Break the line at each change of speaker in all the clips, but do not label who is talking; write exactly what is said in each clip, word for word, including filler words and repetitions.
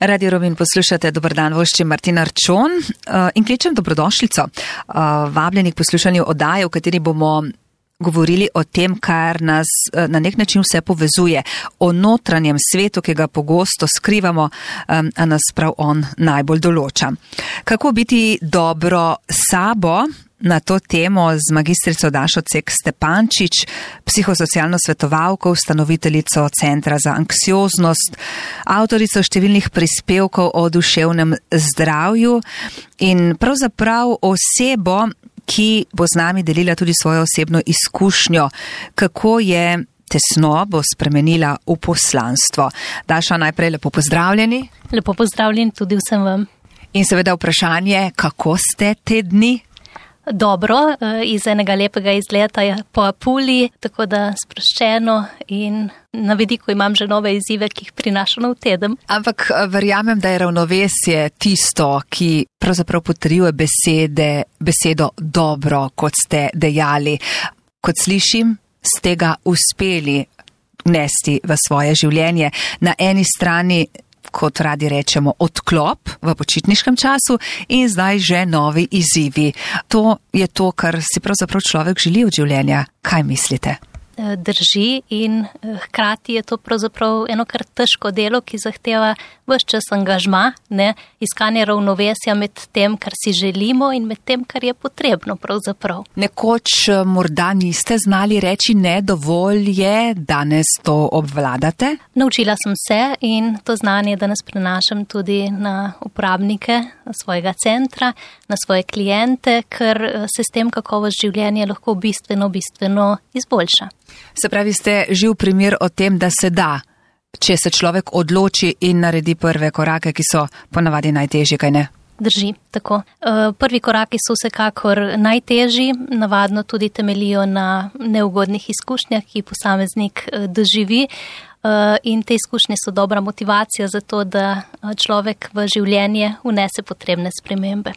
Radio Rovinj poslušate, dober dan, voščim Martina Arčon in kličem dobrodošlico. Vabljeni k poslušanju oddaje, v kateri bomo govorili o tem, kar nas na nek način vse povezuje, o notranjem svetu, ki ga pogosto skrivamo, a nas prav on najbolj določa. Kako biti dobro sabo? Na to temo z magistrico Dašo Cek Stepančič, psihosocialno svetovalko, ustanoviteljico Centra za anksioznost, avtorico številnih prispevkov o duševnem zdravju in pravzaprav osebo, ki bo z nami delila tudi svojo osebno izkušnjo, kako je tesnobo spremenila v poslanstvo. Daša, najprej lepo pozdravljeni.
Lepo pozdravljeni tudi vsem vam.
In seveda vprašanje, kako ste te dni?
Dobro, iz enega lepega izleta po Apuliji, tako da sproščeno in na vidiku imam že nove izzive, ki jih prinašam v teden.
Ampak verjamem, da je ravnovesje tisto, ki pravzaprav potrjuje besede, besedo dobro, kot ste dejali. Kot slišim, ste ga uspeli vnesti v svoje življenje. Na eni strani, kot radi rečemo, odklop v počitniškem času in zdaj že novi izzivi. To je to, kar si pravzaprav človek želi od življenja. Kaj mislite?
Drži in hkrati je to pravzaprav eno kar težko delo, ki zahteva ves čas angažma, ne, iskanje ravnovesja med tem, kar si želimo in med tem, kar je potrebno pravzaprav.
Nekoč morda niste znali reči ne, dovolj je, danes to obvladate?
Naučila sem se in to znanje danes prenašam tudi na uporabnike svojega centra, na svoje klijente, ker se s tem kakovost življenja lahko bistveno, bistveno izboljša.
Se pravi, ste živ primer o tem, da se da, če se človek odloči in naredi prve korake, ki so ponavadi najtežji, kaj ne?
Drži, tako. Prvi koraki so vsekakor najtežji, navadno tudi temelijo na neugodnih izkušnjah, ki posameznik doživi in te izkušnje so dobra motivacija za to, da človek v življenje vnese potrebne spremembe.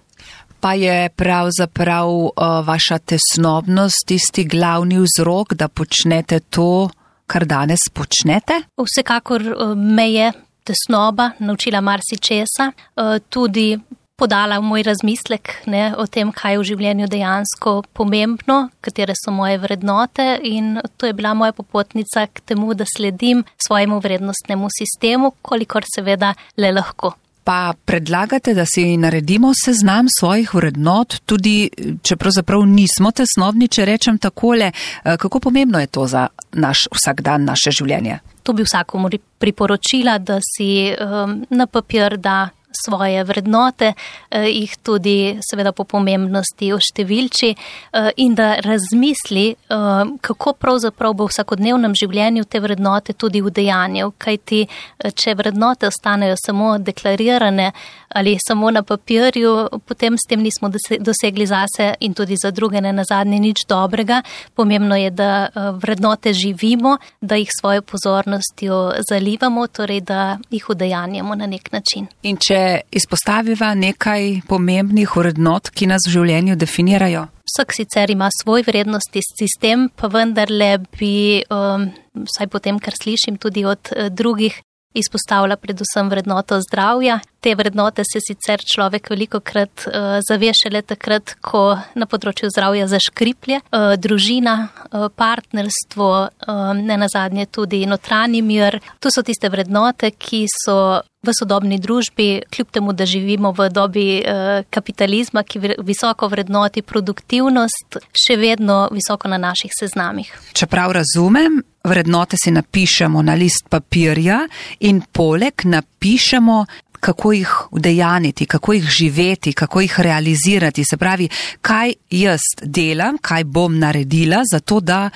Pa je pravzaprav uh, vaša tesnobnost tisti glavni vzrok, da počnete to, kar danes počnete?
Vsekakor uh, me je tesnoba naučila marsičesa, uh, tudi podala moj razmislek, ne, o tem, kaj je v življenju dejansko pomembno, katere so moje vrednote in to je bila moja popotnica k temu, da sledim svojemu vrednostnemu sistemu, kolikor seveda le lahko.
Pa predlagate, da si naredimo seznam svojih vrednot, tudi če pravzaprav nismo tesnobni, če rečem takole, kako pomembno je to za naš vsakdan, naše življenje?
To bi vsakomur priporočila, da si um, na papir da svoje vrednote, eh, jih tudi seveda po pomembnosti oštevilči eh, in da razmisli, eh, kako pravzaprav bo v vsakodnevnem življenju te vrednote tudi udejanjal, kajti eh, če vrednote ostanejo samo deklarirane ali samo na papirju, potem s tem nismo dosegli zase in tudi za druge ne nazadnje nič dobrega. Pomembno je, da eh, vrednote živimo, da jih svojo pozornostjo zalivamo, torej da jih udejanjamo na nek način.
In če izpostaviva nekaj pomembnih vrednot, ki nas v življenju definirajo?
Vsak sicer ima svoj vrednostni sistem, pa vendarle bi, um, vsaj po tem, kar slišim tudi od uh, drugih, izpostavlja predvsem vrednoto zdravja. Te vrednote se sicer človek velikokrat uh, zave šele takrat, ko na področju zdravja zaškriplje. Uh, družina, uh, partnerstvo, uh, ne nazadnje tudi notranji mir. To so tiste vrednote, ki so v sodobni družbi, kljub temu, da živimo v dobi uh, kapitalizma, ki visoko vrednoti produktivnost, še vedno visoko na naših seznamih.
Čeprav razumem, vrednote si napišemo na list papirja in poleg napišemo, kako jih udejaniti, kako jih živeti, kako jih realizirati. Se pravi, kaj jaz delam, kaj bom naredila, zato da,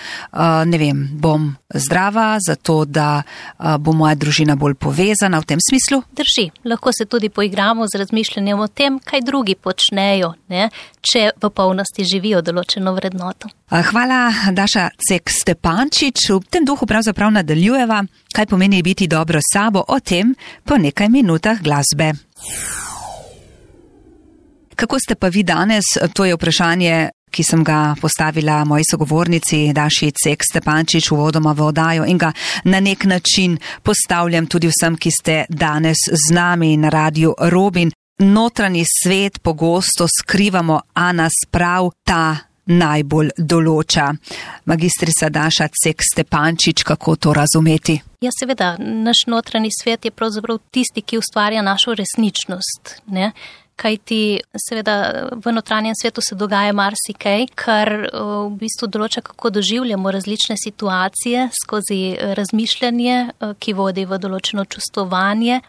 ne vem, bom zdrava, zato da bo moja družina bolj povezana v tem smislu?
Drži. Lahko se tudi poigramo z razmišljanjem o tem, kaj drugi počnejo, ne, če v polnosti živijo določeno vrednoto.
Hvala, Daša Cek Stepančič. V tem duhu pravzaprav nadaljujeva, kaj pomeni biti dobro sabo, o tem po nekaj minutah glasbe. Kako ste pa vi danes? To je vprašanje, ki sem ga postavila moji sogovornici Daši Cek Stepančič uvodoma v oddajo in ga na nek način postavljam tudi vsem, ki ste danes z nami na Radiu Robin. Notranji svet pogosto skrivamo, a nas prav ta najbolj določa. Magistrica Daša Cek Stepančič, kako to razumeti?
Ja, seveda, naš notranji svet je pravzaprav tisti, ki ustvarja našo resničnost, ne? Kajti seveda v notranjem svetu se dogaja marsikaj, kar v bistvu določa, kako doživljamo različne situacije skozi razmišljanje, ki vodi v določeno čustvovanje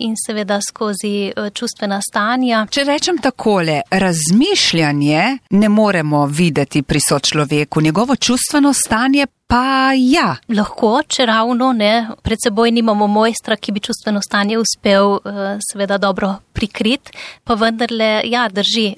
in seveda skozi čustvena stanja.
Če rečem takole, razmišljanje ne moremo videti pri sočloveku, njegovo čustveno stanje pa ja.
Lahko, če ravno ne, pred seboj nimamo mojstra, ki bi čustveno stanje uspel seveda dobro prikrit, pa vendarle, ja, drži,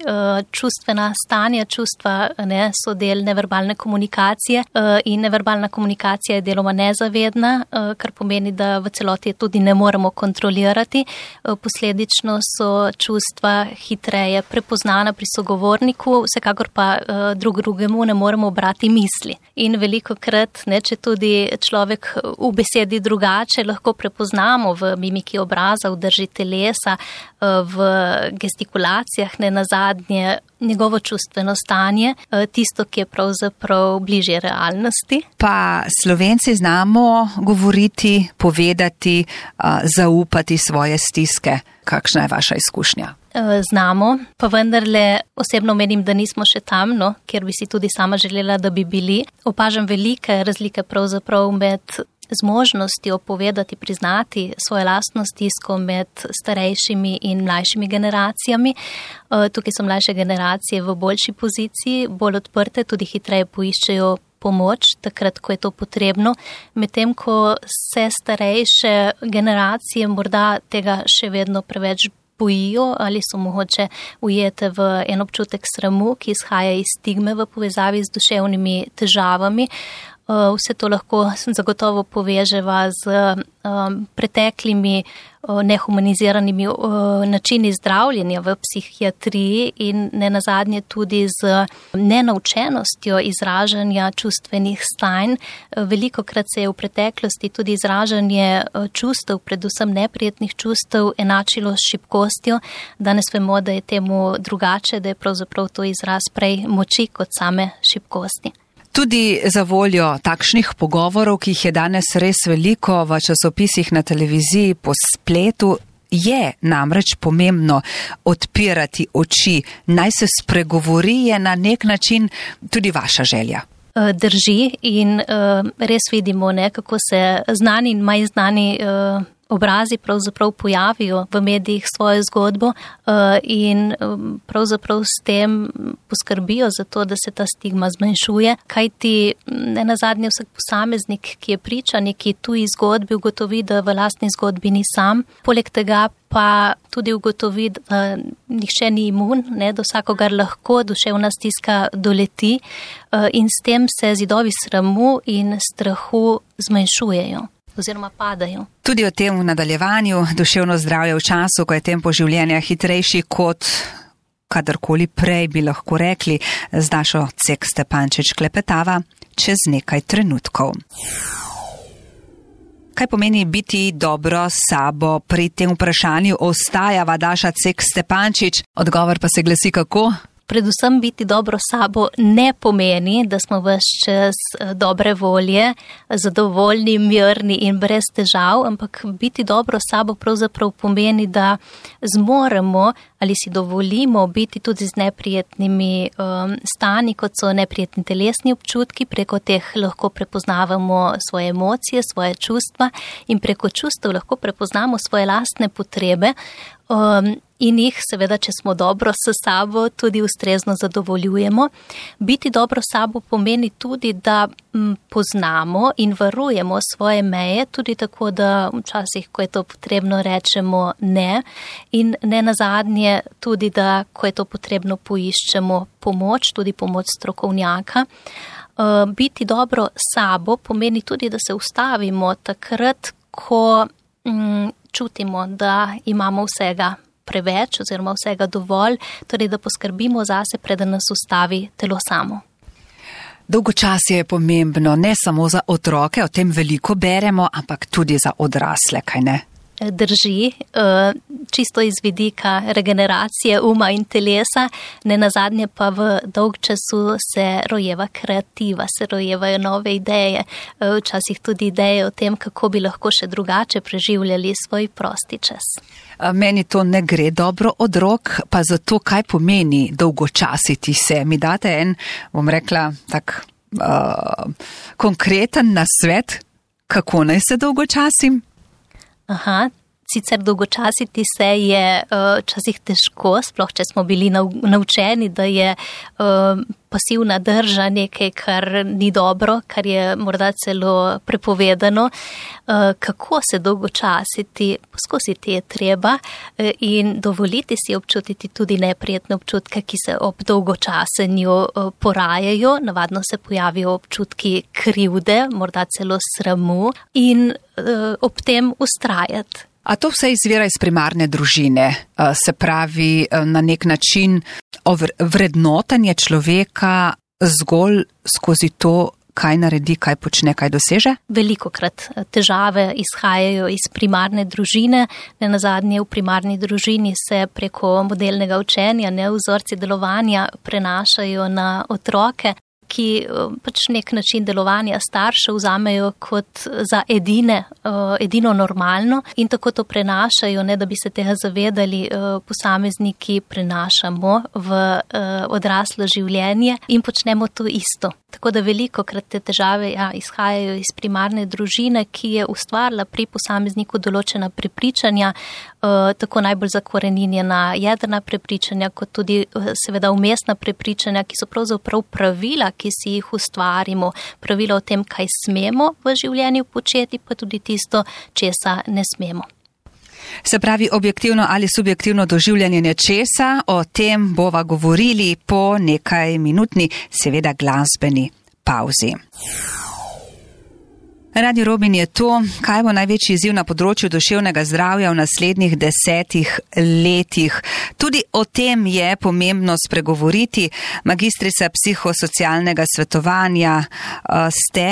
čustvena stanja, čustva ne, so del neverbalne komunikacije in neverbalna komunikacija je deloma nezavedna, kar pomeni, da v celoti tudi ne moremo kontrolirati. Posledično so čustva hitreje prepoznana pri sogovorniku, vsekakor pa drug drugemu ne moremo brati misli. In veliko krat, ne, če tudi človek v besedi drugače, lahko prepoznamo v mimiki obraza, v drži telesa, v gestikulacijah, ne nazadnje njegovo čustveno stanje, tisto, ki je pravzaprav bližje realnosti. Pa
Slovenci znamo govoriti, povedati, zaupati svoje stiske. Kakšna je vaša izkušnja?
Znamo, pa vendarle osebno menim, da nismo še tam, no, kjer bi si tudi sama želela, da bi bili. Opažam velike razlike pravzaprav med zmožnostjo povedati, priznati svojo lastno stisko med starejšimi in mlajšimi generacijami. Tukaj so mlajše generacije v boljši poziciji, bolj odprte, tudi hitreje poiščejo pomoč, takrat, ko je to potrebno, medtem ko se starejše generacije morda tega še vedno preveč bojijo ali so mogoče ujete v en občutek sramu, ki izhaja iz stigme v povezavi z duševnimi težavami. Vse to lahko zagotovo poveževa z preteklimi nehumaniziranimi načini zdravljenja v psihiatriji in ne nazadnje tudi z nenaučenostjo izražanja čustvenih stanj. Velikokrat se je v preteklosti tudi izražanje čustev, predvsem neprijetnih čustev, enačilo s šibkostjo. Danes vemo, da je temu drugače, da je pravzaprav to izraz prej moči kot same šibkosti.
Tudi za voljo takšnih pogovorov, ki jih je danes res veliko v časopisih, na televiziji, po spletu, je namreč pomembno odpirati oči. Naj se spregovori, je na nek način tudi vaša želja.
Drži in res vidimo, ne, kako se znani in manj znani obrazi pravzaprav pojavijo v medijih svojo zgodbo in pravzaprav s tem poskrbijo za to, da se ta stigma zmanjšuje, kajti ne nazadnje vsak posameznik, ki je priča neki tuji zgodbi, ugotovi, da v lastni zgodbi ni sam. Poleg tega pa tudi ugotovi, da nihče ni imun, ne, da vsakogar lahko duševna stiska doleti in s tem se zidovi sramu in strahu zmanjšujejo oziroma padajo.
Tudi o tem v nadaljevanju. Duševno zdravje v času, ko je tempo življenja hitrejši kot kadarkoli prej, bi lahko rekli, z Dašo Cek Stepančič klepetava čez nekaj trenutkov. Kaj pomeni biti dobro s sabo? Pri tem vprašanju ostajava Daša Cek Stepančič. Odgovor pa se glasi kako?
Predvsem biti dobro sabo ne pomeni, da smo ves čas dobre volje, zadovoljni, mirni in brez težav, ampak biti dobro sabo pravzaprav pomeni, da zmoremo ali si dovolimo biti tudi z neprijetnimi um, stanji, kot so neprijetni telesni občutki, preko teh lahko prepoznavamo svoje emocije, svoje čustva in preko čustev lahko prepoznamo svoje lastne potrebe. Um, in jih seveda, če smo dobro s sabo, tudi ustrezno zadovoljujemo. Biti dobro s sabo pomeni tudi, da m, poznamo in varujemo svoje meje, tudi tako, da včasih, ko je to potrebno, rečemo ne in ne nazadnje tudi, da ko je to potrebno, poiščemo pomoč, tudi pomoč strokovnjaka. Uh, biti dobro s sabo pomeni tudi, da se ustavimo takrat, ko m, čutimo, da imamo vsega preveč oziroma vsega dovolj, torej da poskrbimo zase, preden nas ustavi telo samo.
Dolgočasje je pomembno ne samo za otroke, o tem veliko beremo, ampak tudi za odrasle, kaj ne?
Drži, čisto iz vidika regeneracije uma in telesa, ne nazadnje pa v dolg času se rojeva kreativa, se rojevajo nove ideje, včasih tudi ideje o tem, kako bi lahko še drugače preživljali svoj prosti čas.
Meni to ne gre dobro od rok, pa zato kaj pomeni dolgočasiti se. Mi date en, bom rekla, tak uh, konkreten nasvet, kako naj se dolgočasim?
Aha, sicer dolgočasiti se je včasih uh, težko, sploh če smo bili naučeni, da je uh, pasivna drža nekaj, kar ni dobro, kar je morda celo prepovedano. Uh, kako se dolgočasiti, poskusiti je treba uh, in dovoliti si občutiti tudi neprijetne občutke, ki se ob dolgočasenju uh, porajajo. Navadno se pojavijo občutki krivde, morda celo sramu in uh, ob tem ustrajati.
A to vse izvira iz primarne družine, se pravi na nek način vrednotenje človeka zgolj skozi to, kaj naredi, kaj počne, kaj doseže?
Velikokrat težave izhajajo iz primarne družine, ne nazadnje v primarni družini se preko modelnega učenja, ne vzorci delovanja prenašajo na otroke, ki pač nek način delovanja staršev vzamejo kot za edine, edino normalno in tako to prenašajo, ne da bi se tega zavedali, posamezniki prenašamo v odraslo življenje in počnemo to isto. Tako da velikokrat te težave ja, izhajajo iz primarne družine, ki je ustvarila pri posamezniku določena prepričanja, tako najbolj zakoreninjena jedrna prepričanja, kot tudi seveda umestna prepričanja, ki so pravzaprav pravila, ki si jih ustvarimo, pravila o tem, kaj smemo v življenju početi, pa tudi tisto, česa ne smemo.
Se pravi, objektivno ali subjektivno doživljanje nečesa, o tem bova govorili po nekaj minutni, seveda glasbeni pauzi. Radio Robin je to, kaj bo največji izziv na področju duševnega zdravja v naslednjih desetih letih. Tudi o tem je pomembno spregovoriti. Magistrica psihosocialnega svetovanja ste,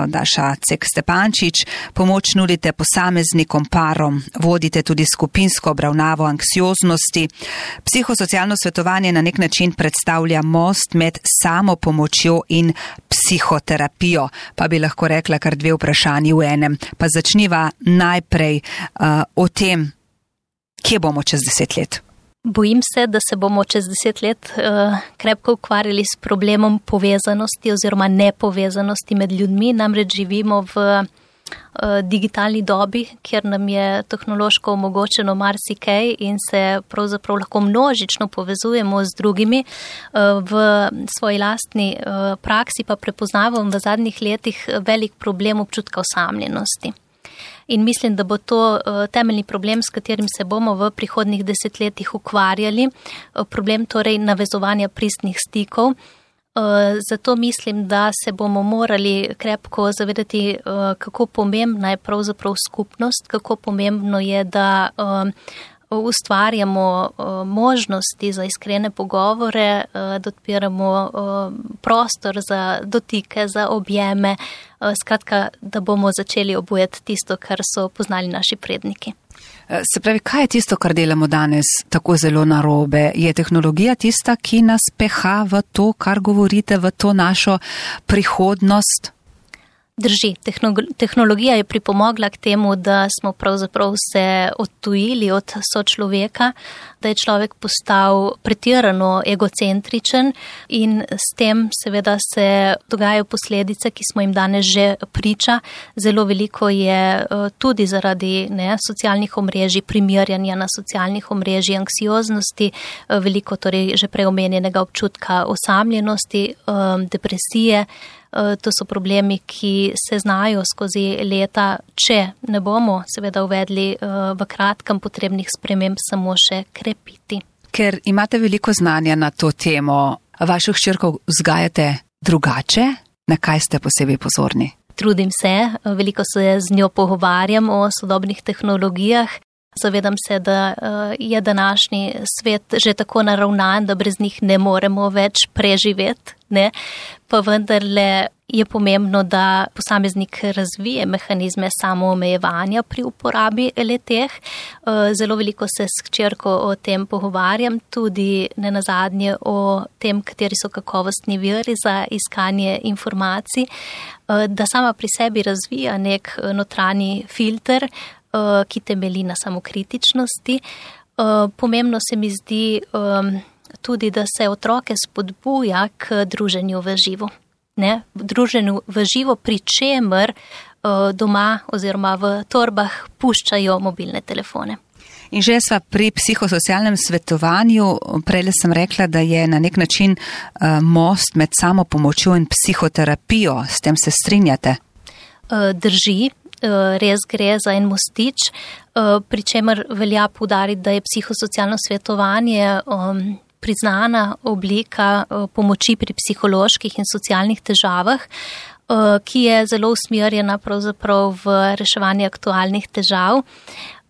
Daša Cek Stepančič, pomoč nudite posameznikom, parom, vodite tudi skupinsko obravnavo anksioznosti. Psihosocialno svetovanje na nek način predstavlja most med samopomočjo in psihoterapijo, pa bi lahko rekla kar dve vprašanji v enem. Pa začniva najprej uh, o tem, kje bomo čez deset let.
Bojim se, da se bomo čez deset let uh, krepko ukvarjali s problemom povezanosti oziroma nepovezanosti med ljudmi. Namreč živimo v digitalni dobi, kjer nam je tehnološko omogočeno marsikaj in se pravzaprav lahko množično povezujemo z drugimi. V svoji lastni praksi pa prepoznavam v zadnjih letih velik problem občutka osamljenosti. In mislim, da bo to temeljni problem, s katerim se bomo v prihodnjih desetletjih ukvarjali. Problem torej navezovanja pristnih stikov. Zato mislim, da se bomo morali krepko zavedati, kako pomembna je pravzaprav skupnost, kako pomembno je, da ustvarjamo možnosti za iskrene pogovore, da odpiramo prostor za dotike, za objeme, skratka, da bomo začeli obujati tisto, kar so poznali naši predniki.
Se pravi, kaj je tisto, kar delamo danes tako zelo narobe? Je tehnologija tista, ki nas peha v to, kar govorite, v to našo prihodnost?
Drži, tehnologija je pripomogla k temu, da smo pravzaprav se odtujili od sočloveka, da je človek postal pretirano egocentričen in s tem seveda se dogajajo posledice, ki smo jim danes že priča. Zelo veliko je tudi zaradi ne, socialnih omrežij, primerjanja na socialnih omrežij, anksioznosti, veliko torej že preomenjenega občutka osamljenosti, depresije. To so problemi, ki se znajo skozi leta, če ne bomo seveda uvedli v kratkem potrebnih sprememb, samo še krepiti.
Ker imate veliko znanja na to temo, vaših hčerkov vzgajate drugače, na kaj ste posebej pozorni?
Trudim se, veliko se z njo pogovarjam o sodobnih tehnologijah. Zavedam se, da je današnji svet že tako naravnan, da brez njih ne moremo več preživeti, ne? Pa vendarle je pomembno, da posameznik razvije mehanizme samoomejevanja pri uporabi le-teh. Zelo veliko se s hčerko o tem pogovarjam, tudi nenazadnje o tem, kateri so kakovostni viri za iskanje informacij, da sama pri sebi razvija nek notranji filter, ki temelji na samokritičnosti. Pomembno se mi zdi tudi, da se otroke spodbuja k druženju v živo. Ne, v druženju v živo, pri čemer doma oziroma v torbah puščajo mobilne telefone.
In že sva pri psihosocialnem svetovanju, prej sem rekla, da je na nek način most med samo pomočjo in psihoterapijo. S tem se strinjate?
Drži, res gre za en mostič, pri čemer velja poudariti, da je psihosocialno svetovanje priznana oblika pomoči pri psiholoških in socialnih težavah, ki je zelo usmerjena pravzaprav v reševanje aktualnih težav.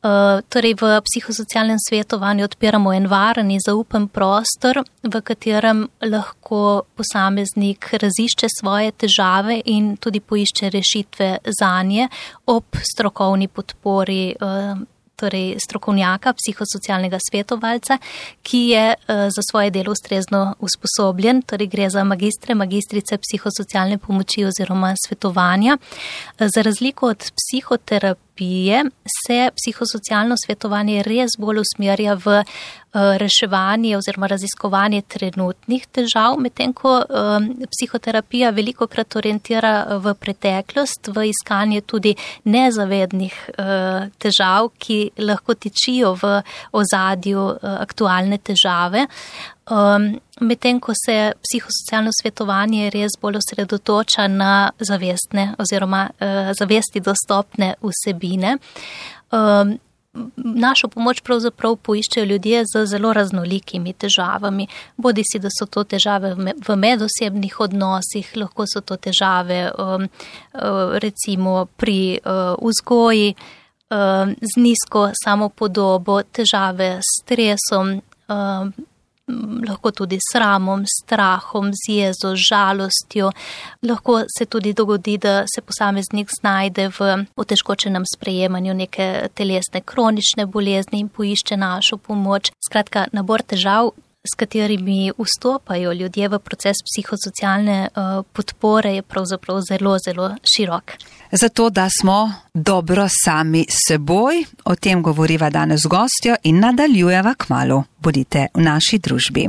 Torej v psihosocialnem svetovanju odpiramo en varen in zaupen prostor, v katerem lahko posameznik razišče svoje težave in tudi poišče rešitve zanje ob strokovni podpori torej strokovnjaka, psihosocialnega svetovalca, ki je za svoje delo ustrezno usposobljen, torej gre za magistre, magistrice psihosocialne pomoči oziroma svetovanja. Za razliko od psihoterapije se psihosocialno svetovanje res bolj usmerja v reševanje oziroma raziskovanje trenutnih težav, medtem ko psihoterapija velikokrat orientira v preteklost, v iskanje tudi nezavednih težav, ki lahko tičijo v ozadju aktualne težave. Medtem ko se psihosocialno svetovanje res bolj osredotoča na zavestne oziroma zavesti dostopne vsebine. Našo pomoč pravzaprav poiščejo ljudje z zelo raznolikimi težavami. Bodi si, da so to težave v medosebnih odnosih, lahko so to težave recimo pri vzgoji, z nizko samopodobo, težave s stresom, lahko tudi s sramom, strahom, z jezo, žalostjo. Lahko se tudi dogodi, da se posameznik znajde v otežkočenem sprejemanju neke telesne kronične bolezni in poišče našo pomoč. Skratka, nabor težav, s katerimi vstopajo ljudje v proces psihosocialne podpore, je pravzaprav zelo, zelo širok.
Zato, da smo dobro sami seboj, o tem govoriva danes z gostjo in nadaljujeva kmalu. Bodite v naši družbi.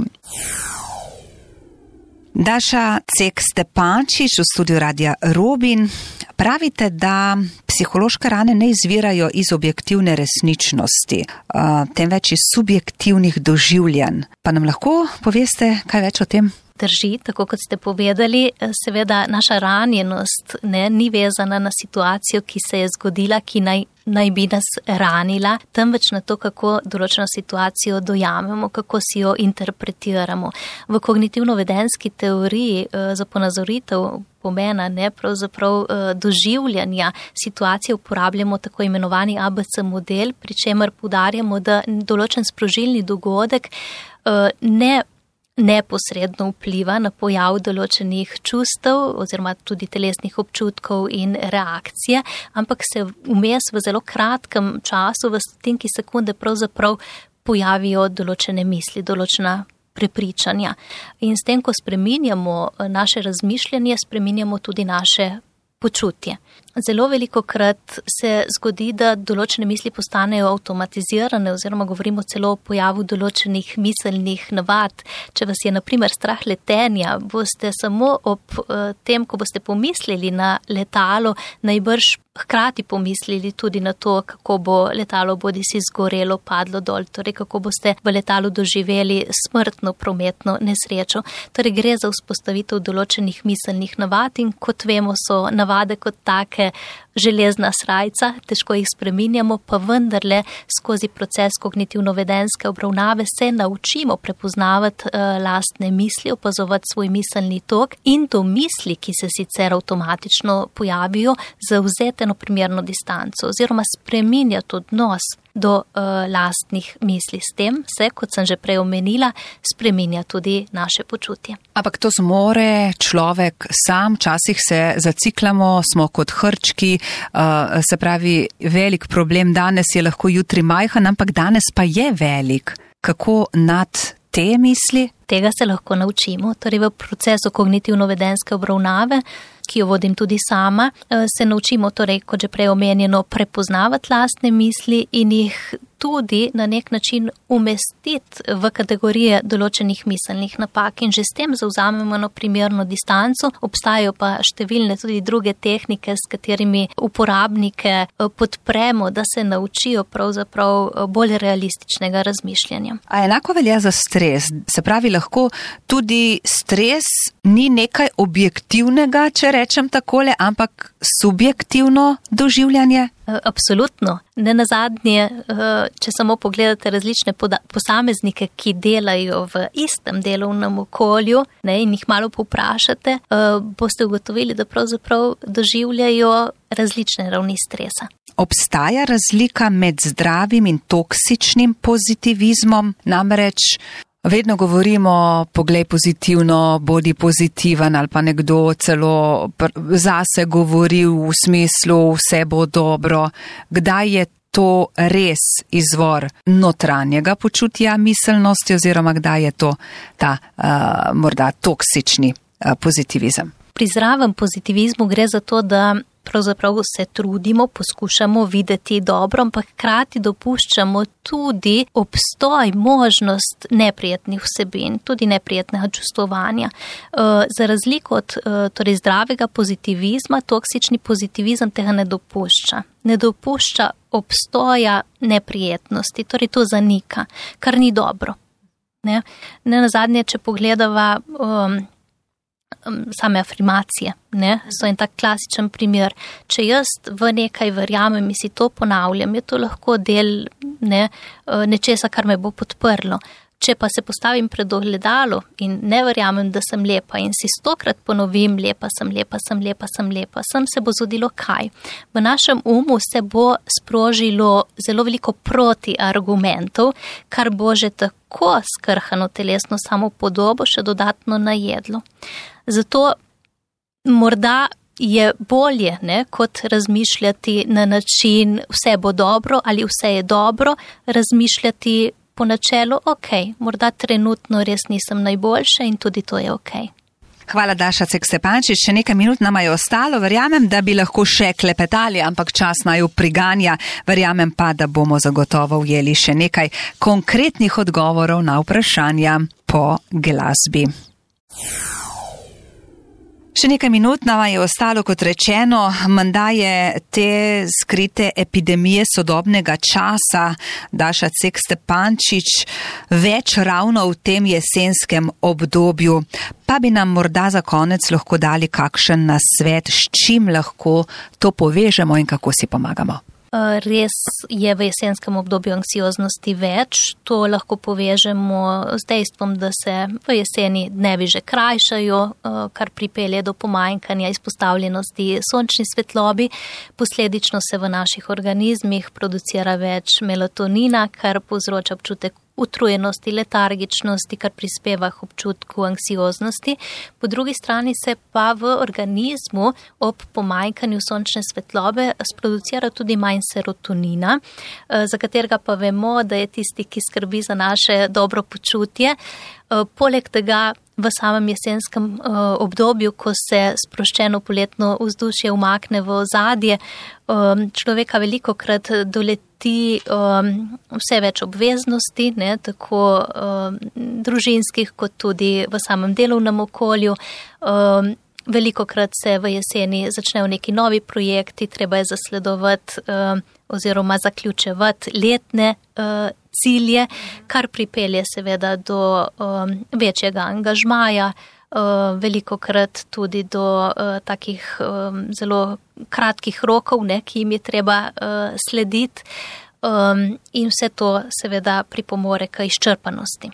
Daša Cek Stepančič v studiu Radia Robin. Pravite, da psihološke rane ne izvirajo iz objektivne resničnosti, temveč iz subjektivnih doživljanj. Pa nam lahko poveste kaj več o tem?
Drži, tako kot ste povedali, seveda naša ranjenost ne, ni vezana na situacijo, ki se je zgodila, ki naj, naj bi nas ranila, temveč na to, kako določeno situacijo dojamemo, kako si jo interpretiramo. V kognitivno-vedenski teoriji za ponazoritev pomena ne, pravzaprav doživljanja situacije uporabljamo tako imenovani A B C model, pri čemer poudarjamo, da določen sprožilni dogodek ne neposredno vpliva na pojav določenih čustev oziroma tudi telesnih občutkov in reakcije, ampak se vmes v zelo kratkem času, v stotinki sekunde pravzaprav pojavijo določene misli, določena prepričanja. In s tem, ko spreminjamo naše razmišljanje, spreminjamo tudi naše počutje. Zelo velikokrat se zgodi, da določene misli postanejo avtomatizirane oziroma govorimo celo o pojavu določenih miselnih navad. Če vas je na primer strah letenja, boste samo ob tem, ko boste pomislili na letalo, najbrž hkrati pomislili tudi na to, kako bo letalo bodisi zgorelo, padlo dol, torej kako boste v letalu doživeli smrtno prometno nesrečo. Torej gre za vzpostavitev določenih miselnih navad in kot vemo, so navade kot take železna srajca, težko jih spreminjamo, pa vendarle skozi proces kognitivno-vedenske obravnave se naučimo prepoznavati uh, lastne misli, opazovati svoj miselni tok in do misli, ki se sicer avtomatično pojavijo, zavzeti čuteno primerno distanco oziroma spreminjati odnos do uh, lastnih misli. S tem se, kot sem že prej omenila, spreminja tudi naše počutje.
Ampak to zmore človek sam, včasih se zaciklamo, smo kot hrčki, uh, se pravi, velik problem danes je lahko jutri majhen, ampak danes pa je velik. Kako nad te misli?
Tega se lahko naučimo. Torej v procesu kognitivno-vedenske obravnave, ki jo vodim tudi sama, se naučimo, torej, kot že prej omenjeno, prepoznavati lastne misli in jih tudi na nek način umestiti v kategorije določenih miselnih napak in že s tem zavzamemo eno primerno distanco. Obstajajo pa številne tudi druge tehnike, s katerimi uporabnike podpremo, da se naučijo pravzaprav bolj realističnega razmišljanja.
A enako velja za stres? Se pravi, lahko tudi stres ni nekaj objektivnega, če rečem takole, ampak subjektivno doživljanje?
Absolutno. Ne nazadnje, če samo pogledate različne posameznike, ki delajo v istem delovnem okolju, ne, in jih malo povprašate, boste ugotovili, da pravzaprav doživljajo različne ravni stresa.
Obstaja razlika med zdravim in toksičnim pozitivizmom, namreč vedno govorimo, poglej pozitivno, bodi pozitiven, ali pa nekdo celo zase govori v smislu, vse bo dobro. Kdaj je to res izvor notranjega počutja miselnosti oziroma kdaj je to ta uh, morda toksični uh, pozitivizem?
Pri zdravem pozitivizmu gre za to, da pravzaprav se trudimo, poskušamo videti dobro, ampak hkrati dopuščamo tudi obstoj, možnost neprijetnih vsebin, tudi neprijetnega čustvovanja. Za razliko od torej zdravega pozitivizma, toksični pozitivizem tega ne dopušča. Ne dopušča obstoja neprijetnosti, torej to zanika, kar ni dobro. Ne, ne nazadnje, če pogledava um, same afirmacije, ne, so en tak klasičen primer. Če jaz v nekaj verjamem in si to ponavljam, je to lahko del ne, nečesa, kar me bo podprlo. Če pa se postavim pred ogledalo in ne verjamem, da sem lepa in si stokrat ponovim, lepa sem, lepa sem, lepa sem, lepa sem, se bo zgodilo kaj? V našem umu se bo sprožilo zelo veliko protiargumentov, kar bo že tako skrhano telesno samopodobo še dodatno najedlo. Zato morda je bolje, ne, kot razmišljati na način vse bo dobro ali vse je dobro, razmišljati po načelu, ok, morda trenutno res nisem najboljša in tudi to je ok.
Hvala, Daša Cek-Stepančič. Še nekaj minut nama je ostalo. Verjamem, da bi lahko še klepetali, ampak čas naju priganja. Verjamem pa, da bomo zagotovo ujeli še nekaj konkretnih odgovorov na vprašanja po glasbi. Še nekaj minut nama je ostalo, kot rečeno, menda je te skrite epidemije sodobnega časa, Daša Cek-Stepančič, več ravno v tem jesenskem obdobju. Pa bi nam morda za konec lahko dali kakšen nasvet, s čim lahko to povežemo in kako si pomagamo.
Res je v jesenskem obdobju anksioznosti več. To lahko povežemo z dejstvom, da se v jeseni dnevi že krajšajo, kar pripelje do pomanjkanja izpostavljenosti sončni svetlobi. Posledično se v naših organizmih producira več melatonina, kar povzroča občutek utrujenosti, letargičnosti, kar prispeva k občutku anksioznosti. Po drugi strani se pa v organizmu ob pomanjkanju sončne svetlobe sproducira tudi manj serotonina, za katerega pa vemo, da je tisti, ki skrbi za naše dobro počutje. Poleg tega v samem jesenskem obdobju, ko se sproščeno poletno vzdušje umakne v ozadje, človeka velikokrat doleti vse več obveznosti, ne, tako družinskih kot tudi v samem delovnem okolju. Velikokrat se v jeseni začnejo neki novi projekti, treba je zasledovati oziroma zaključevati letne cilje, kar pripelje seveda do um, večjega angažmaja, uh, velikokrat tudi do uh, takih um, zelo kratkih rokov, ne, ki jim je treba uh, slediti, um, in vse to seveda pripomore k izčrpanosti.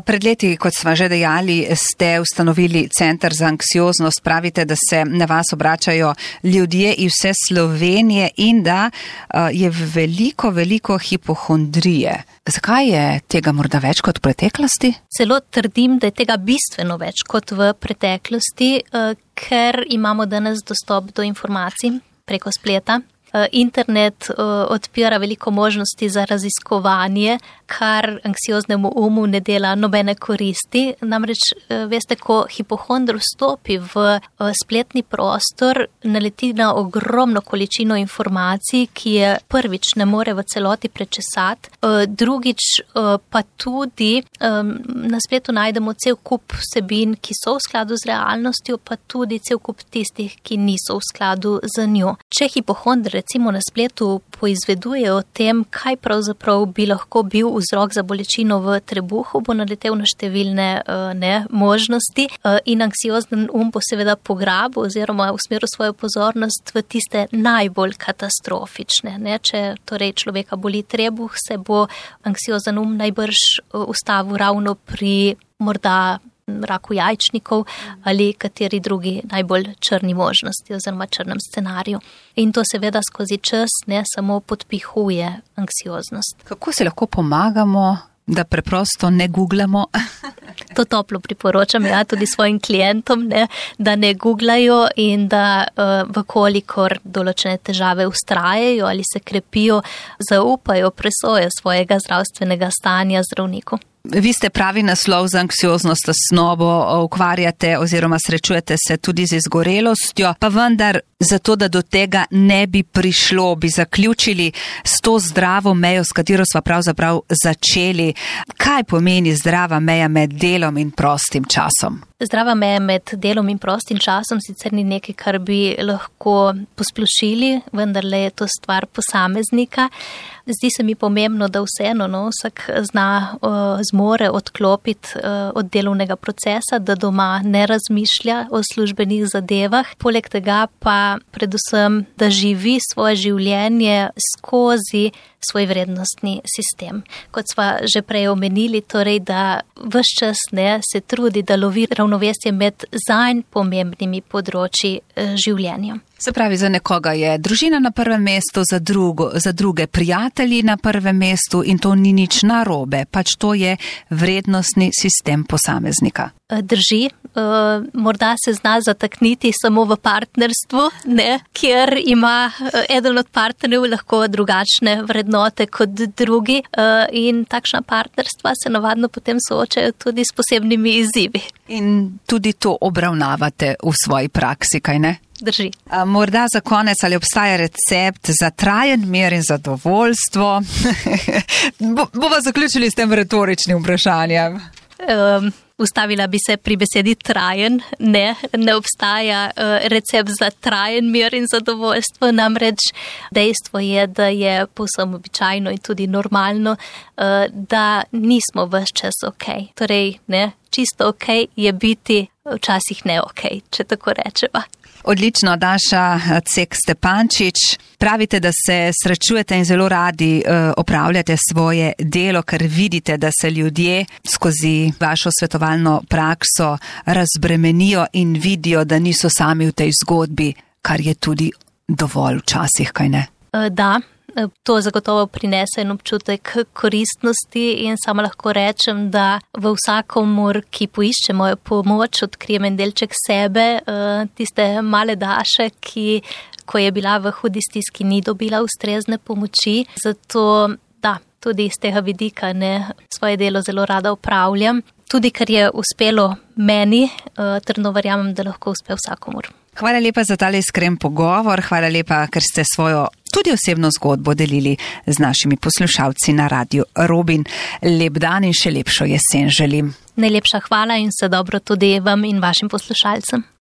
Pred leti, kot smo že dejali, ste ustanovili Center za anksioznost. Pravite, da se na vas obračajo ljudje iz vse Slovenije in da je veliko, veliko hipohondrije. Zakaj je tega morda več kot v preteklosti?
Celo trdim, da je tega bistveno več kot v preteklosti, ker imamo danes dostop do informacij preko spleta. Internet odpira veliko možnosti za raziskovanje, kar anksioznemu umu ne dela nobene koristi. Namreč, veste, ko hipohondr vstopi v spletni prostor, naleti na ogromno količino informacij, ki je prvič ne more v celoti prečesati, drugič pa tudi na spletu najdemo cel kup vsebin, ki so v skladu z realnostjo, pa tudi cel kup tistih, ki niso v skladu z njo. Če hipohondr recimo na spletu poizveduje o tem, kaj pravzaprav bi lahko bil vzrok za bolečino v trebuhu, bo naletel na številne ne, možnosti in anksiozen um bo seveda pograbil oziroma usmeril svojo pozornost v tiste najbolj katastrofične. Ne. Če torej človeka boli trebuh, se bo anksiozen um najbrž ustavil ravno pri morda raku jajčnikov ali kateri drugi najbolj črni možnosti oziroma črnem scenariju. In to seveda skozi čas ne samo podpihuje anksioznost.
Kako se lahko pomagamo, da preprosto ne googlamo?
To toplo priporočam ja tudi svojim klientom, ne, da ne googlajo in da uh, vkolikor določene težave ustrajajo ali se krepijo, zaupajo presojo svojega zdravstvenega stanja zdravniku.
Vi ste pravi naslov za anksioznost tesnobo, ukvarjate oziroma srečujete se tudi z izgorelostjo, pa vendar zato, da do tega ne bi prišlo, bi zaključili s to zdravo mejo, s katero sva pravzaprav začeli. Kaj pomeni zdrava meja med delom in prostim časom?
Zdrava meja med delom in prostim časom sicer ni nekaj, kar bi lahko posplošili, vendar le je to stvar posameznika. Zdi se mi pomembno, da vseeno no, vsak zna, uh, zmore odklopiti uh, od delovnega procesa, da doma ne razmišlja o službenih zadevah. Poleg tega pa predvsem, da živi svoje življenje skozi svoj vrednostni sistem. Kot sva že prej omenili, torej, da ves čas ne, se trudi, da lovi ravnovesje med zanj pomembnimi področji uh, življenja.
Se pravi, za nekoga je družina na prvem mestu, za, drugo, za druge prijatelji na prvem mestu in to ni nič narobe, pač to je vrednostni sistem posameznika.
Drži, morda se zna zatakniti samo v partnerstvu, ne, kjer ima eden od partnerjev lahko drugačne vrednote kot drugi in takšna partnerstva se navadno potem soočajo tudi s posebnimi izzivi.
In tudi to obravnavate v svoji praksi, kaj ne?
Drži.
A morda za konec, ali obstaja recept za trajen mir in zadovoljstvo? Bo, bova zaključili s tem retoričnim vprašanjem.
Um, ustavila bi se pri besedi trajen. Ne, ne obstaja uh, recept za trajen mir in zadovoljstvo. Namreč dejstvo je, da je povsem običajno in tudi normalno, uh, da nismo ves čas ok. Torej, ne, čisto ok je biti včasih ne ok, če tako rečeva.
Odlično, Daša Cek Stepančič. Pravite, da se srečujete in zelo radi uh, opravljate svoje delo, ker vidite, da se ljudje skozi vašo svetovalno prakso razbremenijo in vidijo, da niso sami v tej zgodbi, kar je tudi dovolj včasih, kaj ne?
Uh, da. To zagotovo prinese en občutek koristnosti in samo lahko rečem, da v vsakomur, ki poišče mojo pomoč, odkrijem en delček sebe, tiste male Daše, ki, ko je bila v hudi stiski, ni dobila ustrezne pomoči. Zato, da, tudi iz tega vidika ne, svoje delo zelo rada opravljam. Tudi, ker je uspelo meni, trdno verjamem, da lahko uspe vsakomur.
Hvala lepa za tale iskren pogovor, hvala lepa, ker ste svojo tudi osebno zgodbo delili z našimi poslušalci na Radiu Robin. Lep dan in še lepšo jesen želim.
Najlepša hvala in vse dobro tudi vam in vašim poslušalcem.